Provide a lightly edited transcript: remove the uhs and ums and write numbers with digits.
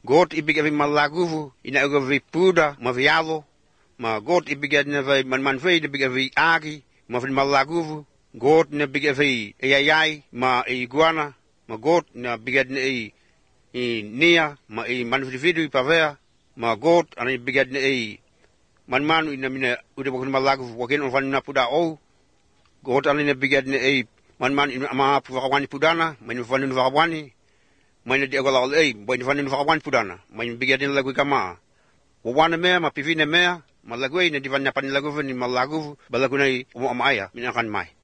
God ibigay malaguvu, inagavi puda, mavialo, ma God ibigay na vay manmanvay na bigay agi, mavin malaguvu, God na bigay ayayay, ma iguana, ma God na bigay na nia, ma manvidividu ipavea, ma God ana ibigay na manmanu ina mina udah bakun malaguvu, wakin on vanina puda o, God ana bigay na manman ina ama puvakawani pudana, man vanina vakawani, man di agala boy vanina vakawani pudana, man bigay na lagu kama, wawana mea, ma pivina mea, malagwe na di vanina panilaguvu ni malaguvu, balaguna umamaya, minakan mai.